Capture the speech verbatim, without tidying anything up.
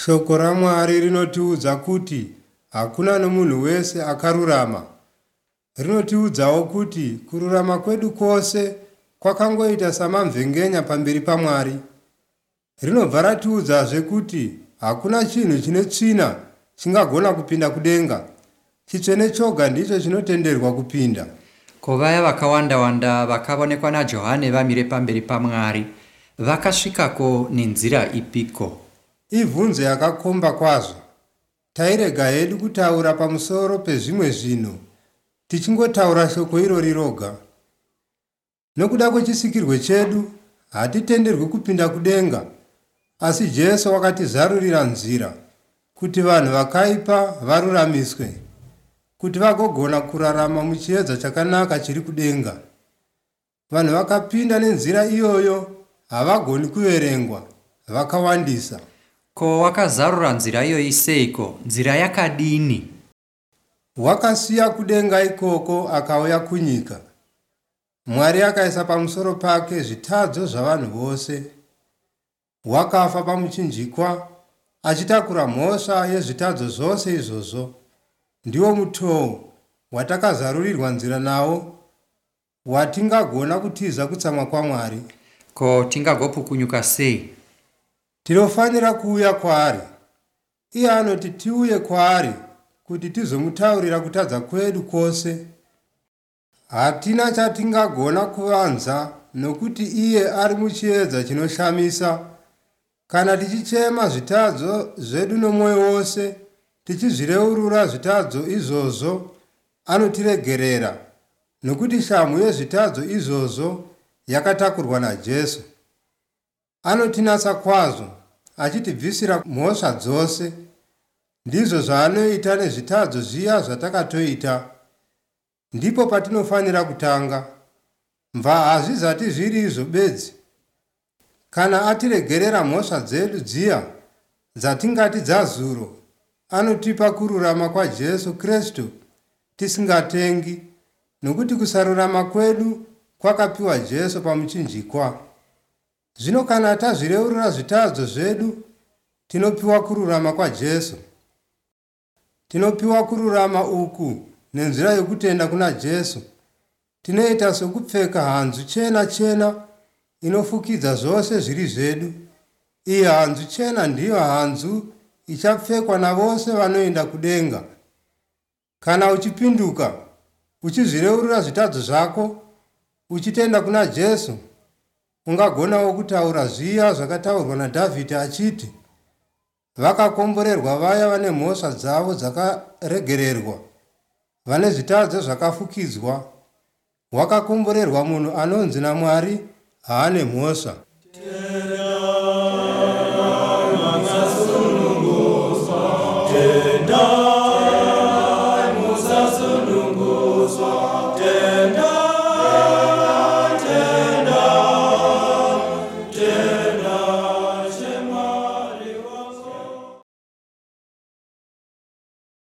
Shoko raMwari rinotiudza kuti hakuna nomunhu wese akarurama. Rinotiudzawo kuti kururama kwedu kwose kwakangoita samamvengenya pamberi paMwari. Rinobva ratiudzazve kuti hakuna chinhu chine tsvina chingagona kupinda kudenga. Chitsvene choga ndicho chinotenderwa kupinda. Ko vaya vakawanda-wanda vakaonekwa naJohane vamire pamberi paMwari vakasvikako nenzira ipiko? Ibvunzo yakakomba kwazvo. Tairega hedu kutaura pamusoro pezvimwe zvinhu tichingotaura shoko irori roga. Nokuda kwechisikirwe chedu hatitenderwi kupinda kudenga, asi Jesu wakatizarurira nzira kuti vanhu vakaipa varuramiswe, kuti vagogona kurarama muchiedza chakanaka chiri kudenga. Vanhu vakapinda nenzira iyoyo havagoni kuverengwa, vakawandisa. Ko wakazarura nzira iyoyi seiko? Nzira yakadini? Wakasiya kudenga ikoko akauya kunyika. Mwari akaisa pamusoro pake zvitadzo zvavanhu vose. Wakafa pamuchinjikwa achitakura mhosva yezvitadzo zvose izvozvo. Ndiwo mutoo watakazarurirwa nzira nawo watingagona kutiza kutsamwa kwaMwari. Ko tingagopukunyuka sei? Tinofanira kuuya kwaari. Iye anoti tiuye kwaari kuti tizomutaurira kutadza kwedu kwose. Hatina chatingagona kuvanza nokuti iye ari muchiedza chinoshamisa. Kana tichichema zvitadzo zvedu nomwoyo wose, tichizvireurura zvitadzo izvozvo, anotiregerera, nokuti shamhu yezvitadzo izvozvo yakatakurwa naJesu. Anotinatsa kwazvo achitibvisira mhosva dzose. Ndizvo zvaanoita nezvitadzo zviya zvatakatoita. Ndipo patinofanira kutanga. Mva hazvizati zviri izvo bedzi. Kana atiregerera mhosva dzedu dziya dzatingati dzazuro, anotipa kururama kwaJesu Kristu tisingatengi, nokuti kusarurama kwedu kwakapiwa Jesu pamuchinjikwa. Zvino kana tazvireurura zvitadzo zvedu, tinopiwa kururama kwaJesu. Tinopiwa kururama uku nenzira yokutenda kuna Jesu. Tinoita sokupfeka hanzu chena chena inofukidza zvose zviri zvedu. Iyi hanzu chena ndiyo hanzu ichapfekwa navose vanoenda kudenga. Kana uchipinduka, uchizvireurura zvitadzo zvako, uchitenda kuna Jesu, ungagonawo kutaura zviya zvakataurwa naDhavhidhi achiti, vakakomborerwa vaya vane mhosva dzavo dzakaregererwa, vane zvitadzo zvakafukidzwa. Wakakomborerwa munhu anonzi naMwari haane mhosva.